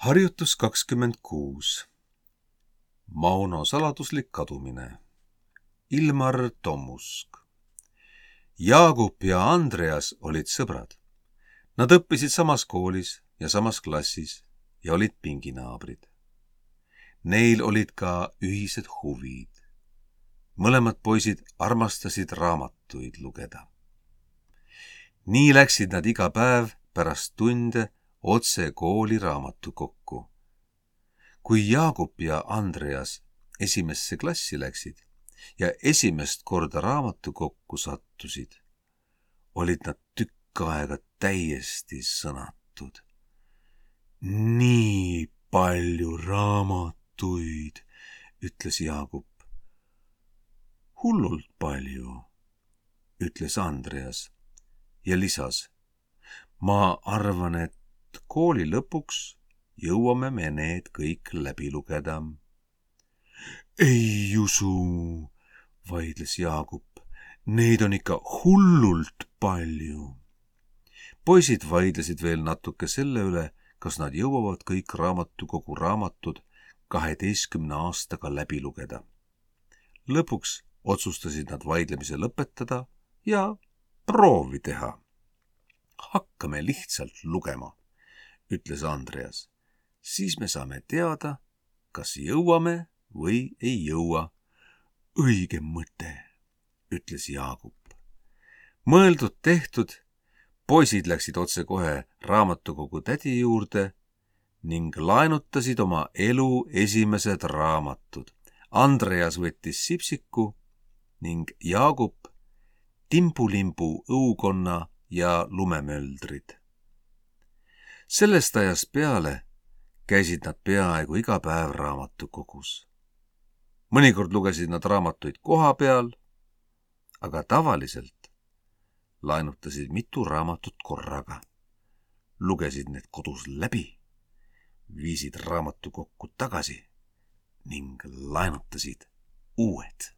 Harjutus 26. Mauno saladuslik kadumine. Ilmar Tomusk. Jaagup ja Andreas olid sõbrad. Nad õppisid samas koolis ja samas klassis ja olid pinginaabrid. Neil olid ka ühised huvid. Mõlemad poisid armastasid raamatuid lugeda. Nii läksid nad iga päev pärast tunde otse kooli raamatukokku. Kui Jaagup ja Andreas esimesse klassi läksid ja esimest korda raamatukokku sattusid, olid nad tükk aega täiesti sõnatud. Nii palju raamatuid, ütles Jaagup. Hullult palju, ütles Andreas ja lisas. Ma arvan, et kooli lõpuks jõuame me need kõik läbi lugeda. Ei usu, vaidles Jaagup. Neid on ikka hullult palju. Poisid vaidlesid veel natuke selle üle, kas nad jõuavad kõik raamatukogu raamatud 12 aastaga läbi lugeda. Lõpuks otsustasid nad vaidlemise lõpetada ja proovi teha. Hakkame lihtsalt lugema, ütles Andreas. Siis me saame teada, kas jõuame või ei jõua. Õige mõte, ütles Jaagup. Mõeldud tehtud, poisid läksid otse kohe raamatukogu tädi juurde ning laenutasid oma elu esimesed raamatud. Andreas võttis sipsiku ning Jaagup timbulimbu õukonna ja lumemöldrid. Sellest ajast peale käisid nad peaaegu iga päev raamatukogus. Mõnikord lugesid nad raamatuid koha peal, aga tavaliselt laenutasid mitu raamatut korraga. Lugesid need kodus läbi, viisid raamatukokku tagasi ning laenutasid uued.